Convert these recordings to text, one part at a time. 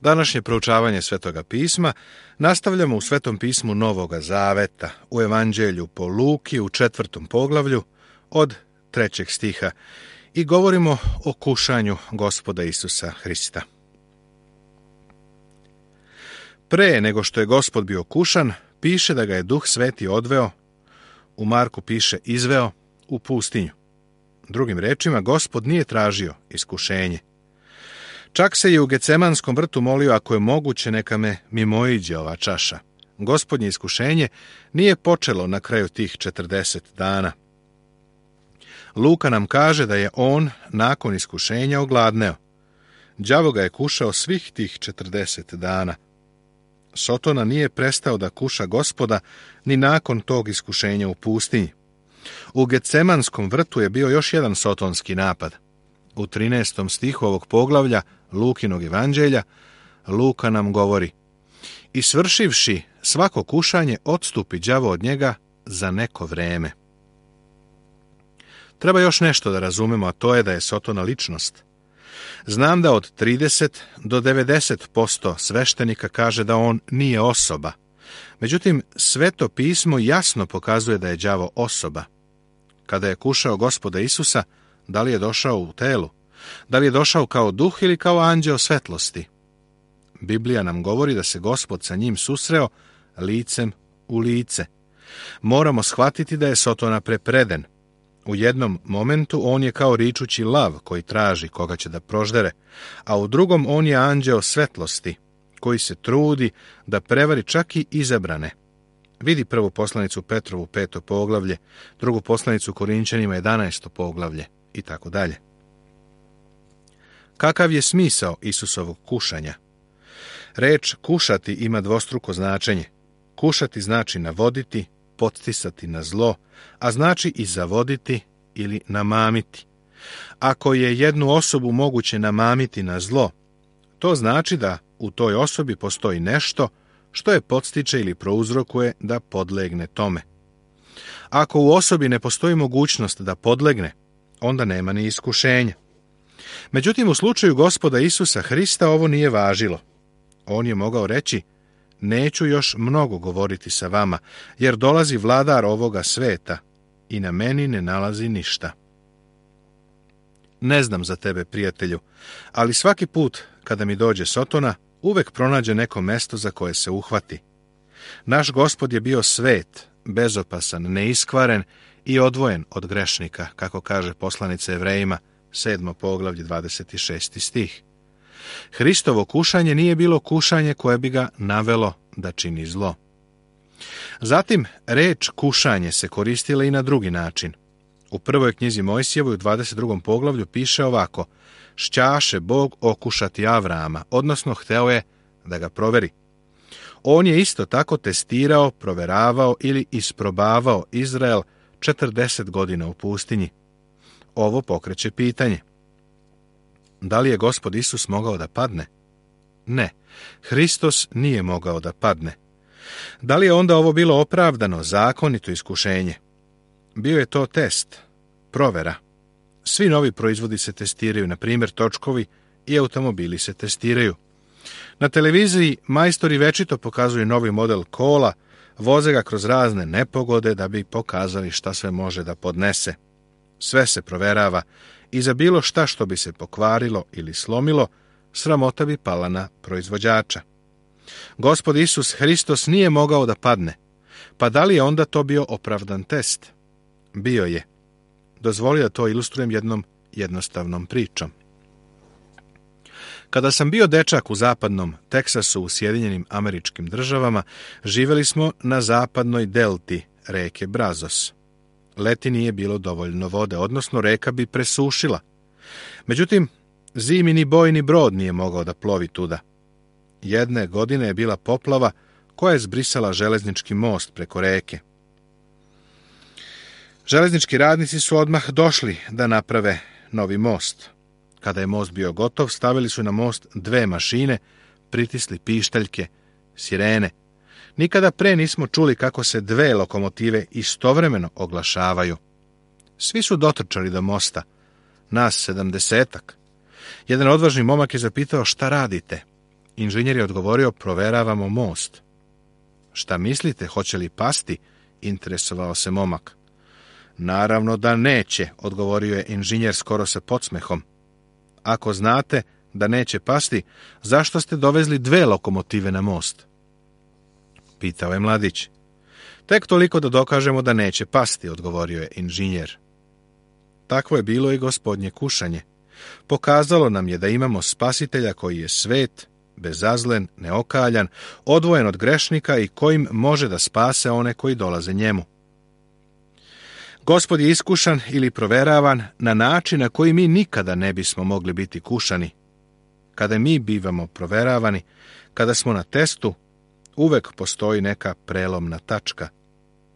Današnje proučavanje Svetoga pisma nastavljamo u Svetom pismu Novoga Zaveta, u Evanđelju po Luki u 4. poglavlju od 3. stiha i govorimo o kušanju Gospoda Isusa Hrista. Pre nego što je Gospod bio kušan, piše da ga je Duh Sveti odveo, u Marku piše izveo, u pustinju. Drugim rečima, Gospod nije tražio iskušenje. Čak se i u Gecemanskom vrtu molio, ako je moguće, neka me mimoiđe ova čaša. Gospodnje iskušenje nije počelo na kraju tih 40 dana. Luka nam kaže da je on nakon iskušenja ogladneo. Đavo ga je kušao svih tih 40 dana. Sotona nije prestao da kuša Gospoda ni nakon tog iskušenja u pustinji. U Gecemanskom vrtu je bio još jedan sotonski napad. U 13. stihu ovog poglavlja Lukinog evanđelja Luka nam govori: i svršivši svako kušanje, odstupi đavo od njega za neko vreme. Treba još nešto da razumemo, a to je da je Sotona ličnost. Znam da od 30 do 90% sveštenika kaže da on nije osoba. Međutim, Sveto pismo jasno pokazuje da je đavo osoba. Kada je kušao Gospoda Isusa, da li je došao u telu? Da li je došao kao duh ili kao anđeo svetlosti? Biblija nam govori da se Gospod sa njim susreo licem u lice. Moramo shvatiti da je Sotona prepreden. U jednom momentu on je kao ričući lav koji traži koga će da proždere, a u drugom on je anđeo svetlosti koji se trudi da prevari čak i izabrane. Vidi prvu poslanicu Petrovu 5. poglavlje, drugu poslanicu Korinćanima 11. poglavlje i tako dalje. Kakav je smisao Isusovog kušanja? Reč kušati ima dvostruko značenje. Kušati znači navoditi, podsticati na zlo, a znači i zavoditi ili namamiti. Ako je jednu osobu moguće namamiti na zlo, to znači da u toj osobi postoji nešto što je podstiče ili prouzrokuje da podlegne tome. Ako u osobi ne postoji mogućnost da podlegne, onda nema ni iskušenja. Međutim, u slučaju Gospoda Isusa Hrista ovo nije važilo. On je mogao reći: neću još mnogo govoriti sa vama, jer dolazi vladar ovoga sveta i na meni ne nalazi ništa. Ne znam za tebe, prijatelju, ali svaki put kada mi dođe Sotona, uvek pronađe neko mesto za koje se uhvati. Naš Gospod je bio svet, bezopasan, neiskvaren i odvojen od grešnika, kako kaže poslanica Evrejima, 7. poglavlje, 26. stih. Hristovo kušanje nije bilo kušanje koje bi ga navelo da čini zlo. Zatim, reč kušanje se koristila i na drugi način. U prvoj knjizi Mojsijevoj u 22. poglavlju piše ovako: šćaše Bog okušati Avrama, odnosno hteo je da ga proveri. On je isto tako testirao, proveravao ili isprobavao Izrael 40 godina u pustinji. Ovo pokreće pitanje: da li je Gospod Isus mogao da padne? Ne, Hristos nije mogao da padne. Da li je onda ovo bilo opravdano, zakonito iskušenje? Bio je to test, provera. Svi novi proizvodi se testiraju, na primjer točkovi i automobili se testiraju. Na televiziji majstori večito pokazuju novi model kola, voze ga kroz razne nepogode da bi pokazali šta sve može da podnese. Sve se proverava i za bilo šta što bi se pokvarilo ili slomilo, sramota bi pala na proizvođača. Gospod Isus Hristos nije mogao da padne. Pa da li je onda to bio opravdan test? Bio je. Dozvoli da to ilustrujem jednom jednostavnom pričom. Kada sam bio dečak u zapadnom Teksasu u Sjedinjenim Američkim Državama, živeli smo na zapadnoj delti reke Brazos. Leti nije bilo dovoljno vode, odnosno reka bi presušila. Međutim, zimi ni bojni brod nije mogao da plovi tuda. Jedne godine je bila poplava koja je zbrisala železnički most preko reke. Železnički radnici su odmah došli da naprave novi most. Kada je most bio gotov, stavili su na most 2 mašine, pritisli pištaljke, sirene. Nikada pre nismo čuli kako se 2 lokomotive istovremeno oglašavaju. Svi su dotrčali do mosta, nas 70-ak. Jedan odvažni momak je zapitao: šta radite? Inženjer je odgovorio, proveravamo most. Šta mislite, hoće li pasti? Interesovao se momak. Naravno da neće, odgovorio je inženjer skoro sa podsmehom. Ako znate da neće pasti, zašto ste dovezli 2 lokomotive na most? Pitao je mladić. Tek toliko da dokažemo da neće pasti, odgovorio je inženjer. Takvo je bilo i gospodnje kušanje. Pokazalo nam je da imamo spasitelja koji je svet, bezazlen, neokaljan, odvojen od grešnika i kojim može da spase one koji dolaze njemu. Gospod je iskušan ili proveravan na način na koji mi nikada ne bismo mogli biti kušani. Kada mi bivamo proveravani, kada smo na testu, uvek postoji neka prelomna tačka.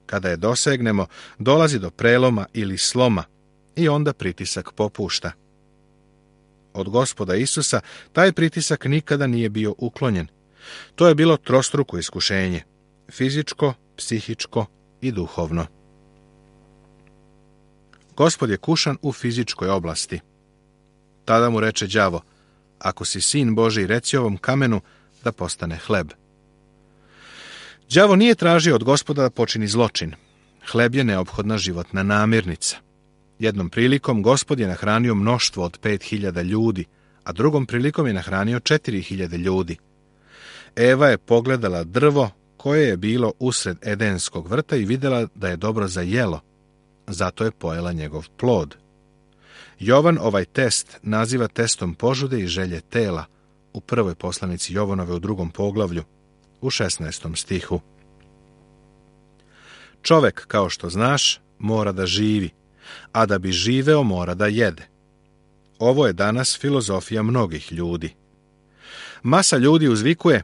Kada je dosegnemo, dolazi do preloma ili sloma i onda pritisak popušta. Od Gospoda Isusa taj pritisak nikada nije bio uklonjen. To je bilo trostruko iskušenje, fizičko, psihičko i duhovno. Gospod je kušan u fizičkoj oblasti. Tada mu reče đavo, ako si sin Božji, reci ovom kamenu da postane hleb. Đavo nije tražio od Gospoda da počini zločin. Hleb je neophodna životna namirnica. Jednom prilikom Gospod je nahranio mnoštvo od 5.000 ljudi, a drugom prilikom je nahranio 4.000 ljudi. Eva je pogledala drvo koje je bilo usred Edenskog vrta i vidjela da je dobro za jelo, zato je pojela njegov plod. Jovan ovaj test naziva testom požude i želje tela u prvoj poslanici Jovanove u 2. poglavlju, u 16. stihu. Čovek, kao što znaš, mora da živi, a da bi živeo mora da jede. Ovo je danas filozofija mnogih ljudi. Masa ljudi uzvikuje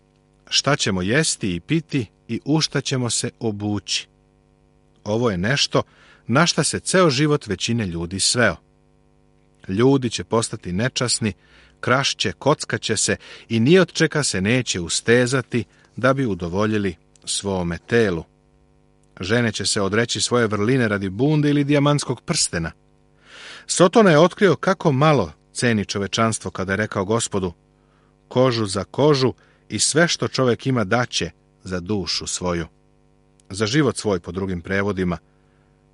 šta ćemo jesti i piti i u šta ćemo se obući. Ovo je nešto na šta se ceo život većine ljudi sveo. Ljudi će postati nečasni, krašće, kockaće se i ni od čega se neće ustezati da bi udovoljili svome telu. Žene će se odreći svoje vrline radi bunde ili dijamantskog prstena. Sotona je otkrio kako malo ceni čovečanstvo kada je rekao Gospodu, kožu za kožu i sve što čovjek ima daće za dušu svoju. Za život svoj po drugim prevodima.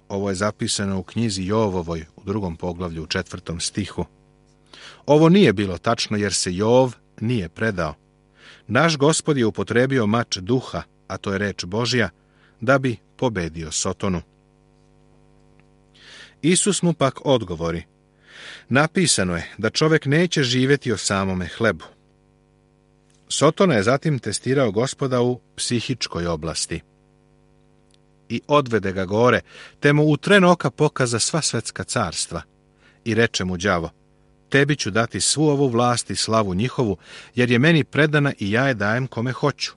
Ovo je zapisano u knjizi Jovovoj u 2. poglavlju u 4. stihu. Ovo nije bilo tačno jer se Jov nije predao. Naš Gospod je upotrebio mač duha, a to je reč Božja, da bi pobedio Sotonu. Isus mu pak odgovori. Napisano je da čovjek neće živjeti o samome hlebu. Sotona je zatim testirao Gospoda u psihičkoj oblasti. I odvede ga gore, te mu u tren oka pokaza sva svetska carstva. I reče mu đavo, tebi ću dati svu ovu vlast i slavu njihovu, jer je meni predana i ja je dajem kome hoću.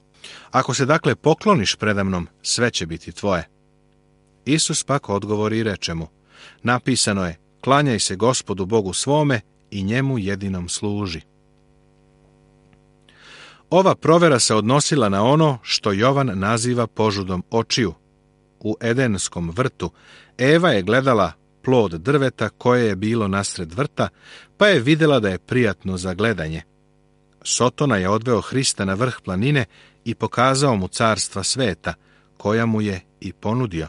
Ako se dakle pokloniš predamnom, sve će biti tvoje. Isus pak odgovori i reče mu, napisano je, klanjaj se Gospodu Bogu svome i njemu jedinom služi. Ova provera se odnosila na ono što Jovan naziva požudom očiju. U Edenskom vrtu Eva je gledala plod drveta koje je bilo nasred vrta, pa je vidjela da je prijatno za gledanje. Sotona je odveo Hrista na vrh planine i pokazao mu carstva sveta, koja mu je i ponudio.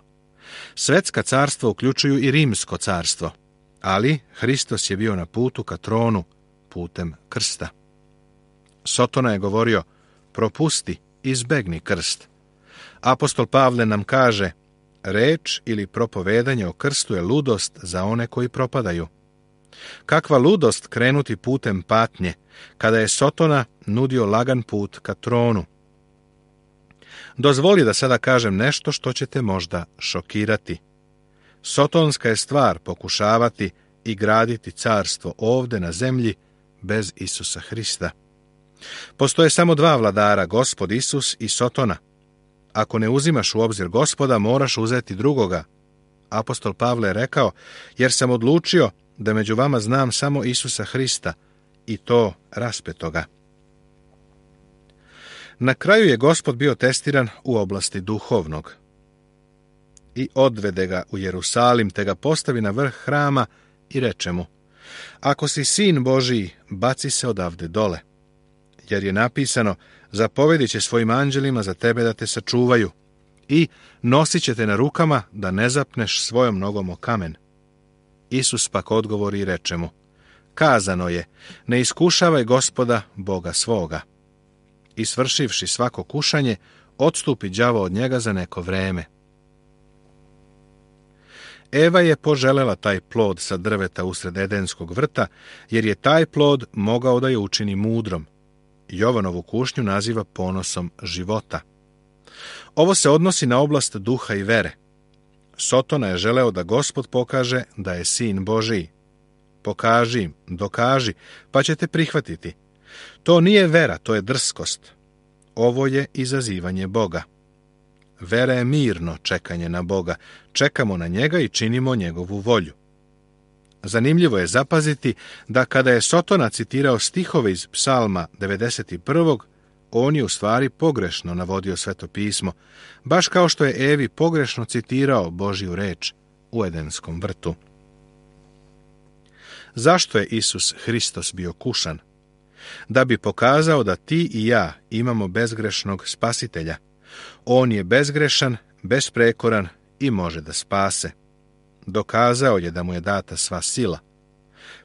Svetska carstva uključuju i rimsko carstvo, ali Hristos je bio na putu ka tronu putem krsta. Sotona je govorio, propusti, izbegni krst. Apostol Pavle nam kaže, reč ili propovedanje o krstu je ludost za one koji propadaju. Kakva ludost krenuti putem patnje, kada je Sotona nudio lagan put ka tronu. Dozvoli da sada kažem nešto što će te možda šokirati. Sotonska je stvar pokušavati i graditi carstvo ovde na zemlji bez Isusa Hrista. Postoje samo 2 vladara, Gospod Isus i Sotona. Ako ne uzimaš u obzir Gospoda, moraš uzeti drugoga. Apostol Pavle je rekao, jer sam odlučio da među vama znam samo Isusa Hrista, i to raspetoga. Na kraju je Gospod bio testiran u oblasti duhovnog. I odvede ga u Jerusalim, te ga postavi na vrh hrama i reče mu, ako si sin Božiji, baci se odavde dole. jer je napisano: zapovedit će svojim anđelima za tebe da te sačuvaju i nosit će te na rukama da ne zapneš svojom nogom o kamen. Isus pak odgovori i reče mu: kazano je, ne iskušavaj Gospoda, Boga svoga. I svršivši svako kušanje, odstupi đavo od njega za neko vreme. Eva je poželela taj plod sa drveta usred Edenskog vrta, jer je taj plod mogao da je učini mudrom. Jovanovu kušnju naziva ponosom života. Ovo se odnosi na oblast duha i vere. Sotona je želeo da Gospod pokaže da je sin Božiji. Pokaži im, dokaži, pa ćete prihvatiti. To nije vera, to je drskost. Ovo je izazivanje Boga. Vera je mirno čekanje na Boga. Čekamo na njega i činimo njegovu volju. Zanimljivo je zapaziti da kada je Sotona citirao stihove iz Psalma 91. on je u stvari pogrešno navodio Sveto pismo, baš kao što je Evi pogrešno citirao Božju reč u Edenskom vrtu. Zašto je Isus Hristos bio kušan? Da bi pokazao da ti i ja imamo bezgrešnog spasitelja. On je bezgrešan, besprekoran i može da spase. Dokazao je da mu je data sva sila.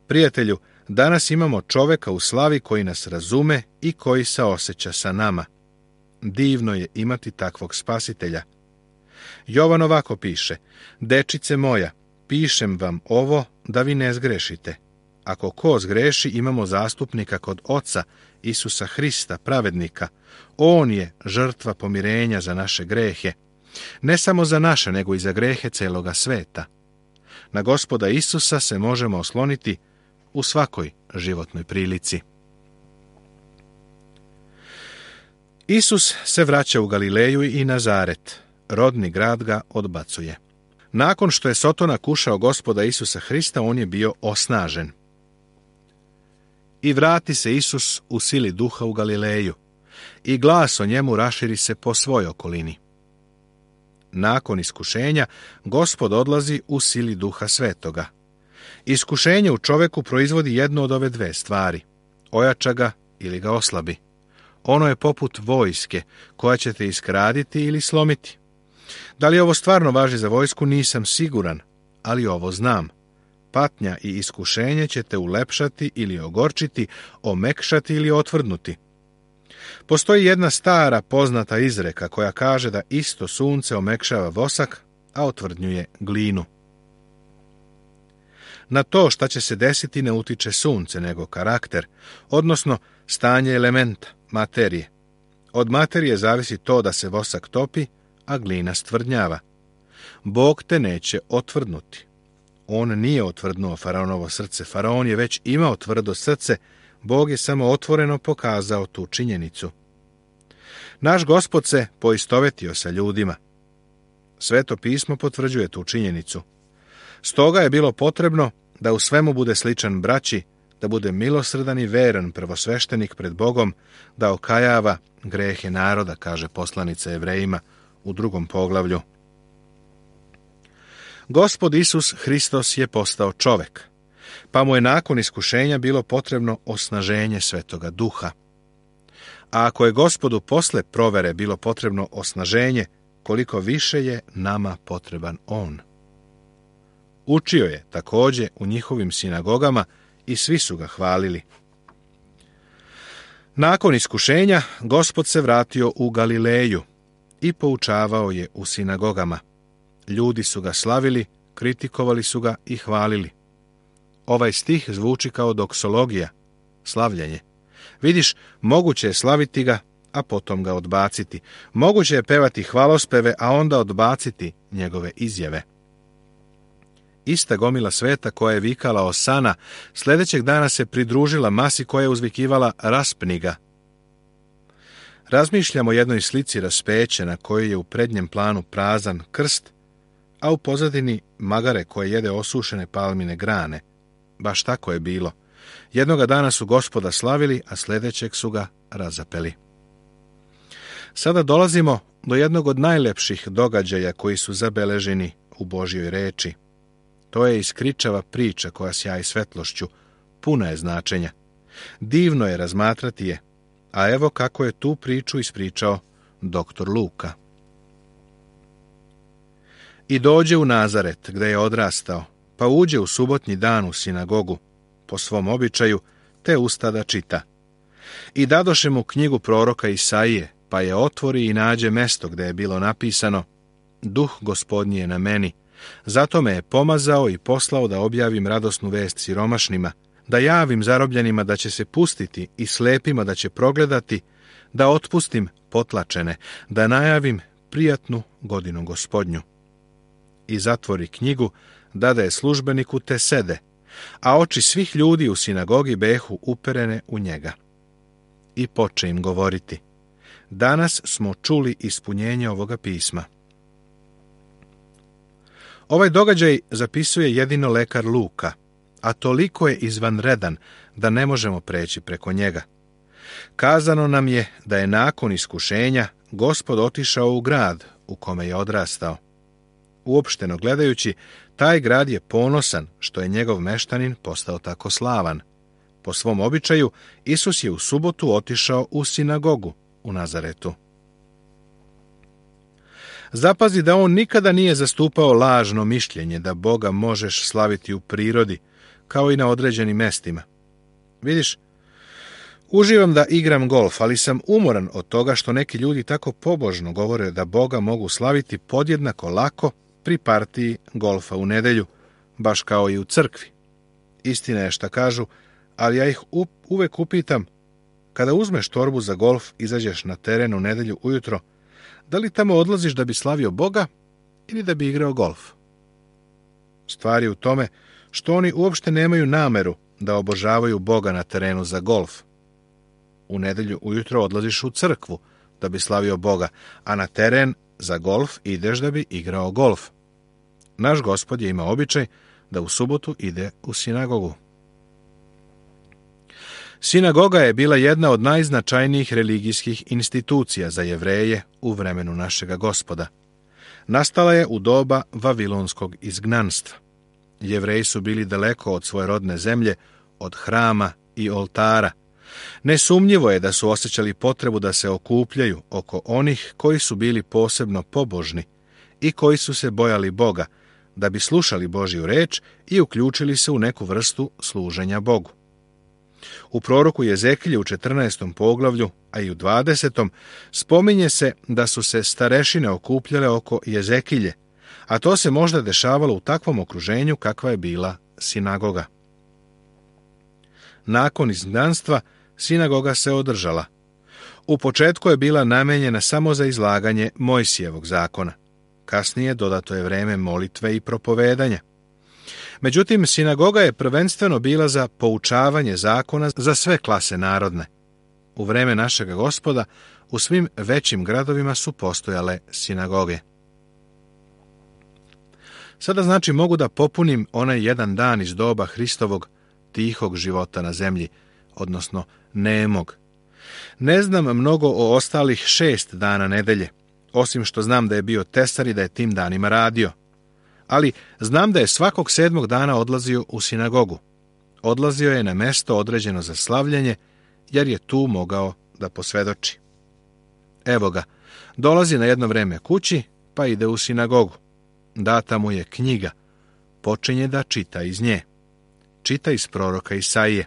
Prijatelju, danas imamo čoveka u slavi koji nas razume i koji saoseća sa nama. Divno je imati takvog spasitelja. Jovan ovako piše: dečice moja, pišem vam ovo da vi ne zgrešite. Ako ko zgreši, imamo zastupnika kod Oca, Isusa Hrista, pravednika. On je žrtva pomirenja za naše grehe. Ne samo za naše, nego i za grehe celoga sveta. Na Gospoda Isusa se možemo osloniti u svakoj životnoj prilici. Isus se vraća u Galileju i Nazaret. Rodni grad ga odbacuje. Nakon što je Sotona kušao Gospoda Isusa Hrista, on je bio osnažen. I vrati se Isus u sili duha u Galileju, i glas o njemu raširi se po svoj okolini. Nakon iskušenja, Gospod odlazi u sili duha svetoga. Iskušenje u čoveku proizvodi jednu od ove dve stvari: ojača ga ili ga oslabi. Ono je poput vojske koja će te iskraditi ili slomiti. Da li ovo stvarno važi za vojsku, nisam siguran, ali ovo znam. Patnja i iskušenje će te ulepšati ili ogorčiti, omekšati ili otvrdnuti. Postoji jedna stara poznata izreka koja kaže da isto sunce omekšava vosak, a otvrdnjuje glinu. Na to šta će se desiti ne utiče sunce, nego karakter, odnosno stanje elementa, materije. Od materije zavisi to da se vosak topi, a glina stvrdnjava. Bog te neće otvrdnuti. On nije otvrdnuo faraonovo srce. Faraon je već imao tvrdo srce, Bog je samo otvoreno pokazao tu činjenicu. Naš Gospod se poistovetio sa ljudima. Sveto pismo potvrđuje tu činjenicu. Stoga je bilo potrebno da u svemu bude sličan braći, da bude milosrdan i veran prvosveštenik pred Bogom, da okajava grehe naroda, kaže poslanica Jevrejima u 2. poglavlju. Gospod Isus Hristos je postao čovek, pa mu je nakon iskušenja bilo potrebno osnaženje Svetoga Duha. A ako je Gospodu posle provere bilo potrebno osnaženje, koliko više je nama potreban On. Učio je također u njihovim sinagogama i svi su ga hvalili. Nakon iskušenja, Gospod se vratio u Galileju i poučavao je u sinagogama. Ljudi su ga slavili, kritikovali su ga i hvalili. Ovaj stih zvuči kao doksologija, slavljenje. Vidiš, moguće je slaviti ga, a potom ga odbaciti. Moguće je pevati hvalospeve, a onda odbaciti njegove izjave. Ista gomila sveta koja je vikala Osana, sljedećeg dana se pridružila masi koja je uzvikivala raspni ga. Razmišljamo o jednoj slici raspeće na kojoj je u prednjem planu prazan krst, a u pozadini magare koje jede osušene palmine grane. Baš tako je bilo. Jednoga dana su Gospoda slavili, a sljedećeg su ga razapeli. Sada dolazimo do jednog od najlepših događaja koji su zabeleženi u Božjoj reči. To je iskričava priča koja sjaji svetlošću, puna je značenja. Divno je razmatrati je. A evo kako je tu priču ispričao doktor Luka. I dođe u Nazaret, gde je odrastao, pa uđe u subotnji dan u sinagogu, po svom običaju, te usta da čita. I dadoše mu knjigu proroka Isaije, pa je otvori i nađe mesto gde je bilo napisano: Duh Gospodnji je na meni, zato me je pomazao i poslao da objavim radosnu vest siromašnima, da javim zarobljenima da će se pustiti i slepima da će progledati, da otpustim potlačene, da najavim prijatnu godinu Gospodnju. I zatvori knjigu, dade je službeniku, te sede, a oči svih ljudi u sinagogi behu uperene u njega. I poče im govoriti: Danas smo čuli ispunjenje ovoga pisma. Ovaj događaj zapisuje jedino lekar Luka, a toliko je izvanredan da ne možemo preći preko njega. Kazano nam je da je nakon iskušenja Gospod otišao u grad u kome je odrastao. Uopšteno gledajući, taj grad je ponosan što je njegov meštanin postao tako slavan. Po svom običaju, Isus je u subotu otišao u sinagogu u Nazaretu. Zapazi da on nikada nije zastupao lažno mišljenje da Boga možeš slaviti u prirodi, kao i na određenim mestima. Vidiš, uživam da igram golf, ali sam umoran od toga što neki ljudi tako pobožno govore da Boga mogu slaviti podjednako lako pri partiji golfa u nedelju, baš kao i u crkvi. Istina je šta kažu, ali ja ih uvek upitam: kada uzmeš torbu za golf, izađeš na teren u nedelju ujutro, da li tamo odlaziš da bi slavio Boga ili da bi igrao golf? Stvar je u tome što oni uopšte nemaju nameru da obožavaju Boga na terenu za golf. U nedelju ujutro odlaziš u crkvu da bi slavio Boga, a na teren za golf ideš da bi igrao golf. Naš Gospod je imao običaj da u subotu ide u sinagogu. Sinagoga je bila jedna od najznačajnijih religijskih institucija za Jevreje u vremenu našega Gospoda. Nastala je u doba vavilonskog izgnanstva. Jevreji su bili daleko od svoje rodne zemlje, od hrama i oltara. Nesumnjivo je da su osjećali potrebu da se okupljaju oko onih koji su bili posebno pobožni i koji su se bojali Boga, da bi slušali Božju reč i uključili se u neku vrstu služenja Bogu. U proroku Jezekilju u 14. poglavlju, a i u 20. spominje se da su se starešine okupljale oko Jezekilje, a to se možda dešavalo u takvom okruženju kakva je bila sinagoga. Nakon izgnanstva sinagoga se održala. U početku je bila namenjena samo za izlaganje Mojsijevog zakona. Kasnije dodato je vreme molitve i propovedanja. Međutim, sinagoga je prvenstveno bila za poučavanje zakona za sve klase narodne. U vreme našega Gospoda u svim većim gradovima su postojale sinagoge. Sada znači mogu da popunim onaj jedan dan iz doba Hristovog tihog života na zemlji, odnosno nemog. Ne znam mnogo o ostalih 6 dana nedelje, osim što znam da je bio tesar i da je tim danima radio. Ali znam da je svakog 7. dana odlazio u sinagogu. Odlazio je na mesto određeno za slavljenje, jer je tu mogao da posvedoči. Evo ga, dolazi na jedno vreme kući, pa ide u sinagogu. Data mu je knjiga, počinje da čita iz nje. Čita iz proroka Isaije.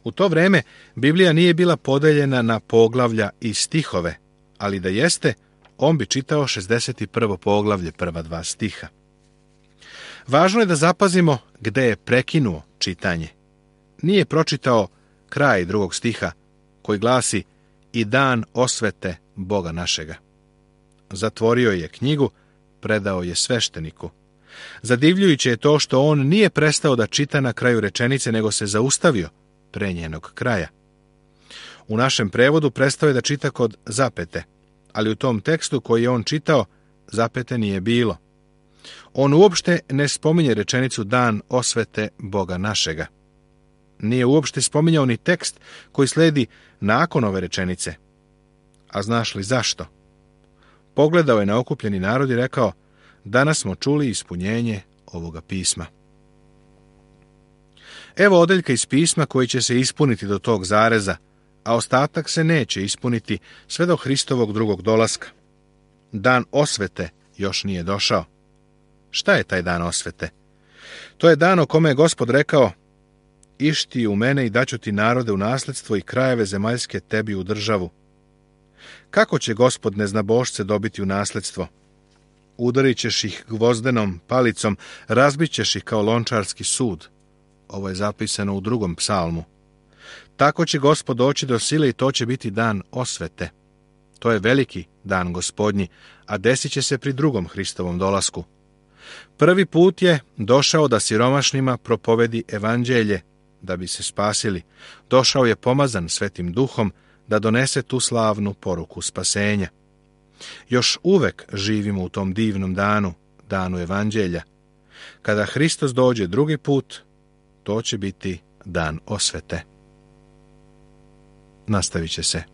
U to vreme Biblija nije bila podeljena na poglavlja i stihove, ali da jeste, on bi čitao 61. poglavlje, prva 2 stiha. Važno je da zapazimo gde je prekinuo čitanje. Nije pročitao kraj 2. stiha, koji glasi: i dan osvete Boga našega. Zatvorio je knjigu, predao je svešteniku. Zadivljujuće je to što on nije prestao da čita na kraju rečenice, nego se zaustavio pre njenog kraja. U našem prevodu prestao je da čita kod zapete, ali u tom tekstu koji je on čitao, zapete nije bilo. On uopšte ne spominje rečenicu dan osvete Boga našega. Nije uopšte spominjao ni tekst koji sledi nakon ove rečenice. A znaš li zašto? Pogledao je na okupljeni narod i rekao: danas smo čuli ispunjenje ovoga pisma. Evo odeljka iz pisma koji će se ispuniti do tog zareza, a ostatak se neće ispuniti sve do Hristovog drugog dolaska. Dan osvete još nije došao. Šta je taj dan osvete? To je dan o kome je Gospod rekao: Iš ti u mene i daću ti narode u nasljedstvo i krajeve zemaljske tebi u državu. Kako će Gospod neznabošce dobiti u nasljedstvo? Udarit ćeš ih gvozdenom palicom, razbit ćeš ih kao lončarski sud. Ovo je zapisano u 2. psalmu. Tako će Gospod doći do sile i to će biti dan osvete. To je veliki dan Gospodnji, a desit će se pri drugom Hristovom dolasku. Prvi put je došao da siromašnima propovedi evanđelje, da bi se spasili. Došao je pomazan Svetim Duhom, da donese tu slavnu poruku spasenja. Još uvek živimo u tom divnom danu, danu evanđelja. Kada Hristos dođe drugi put, to će biti dan osvete. Nastavit će se.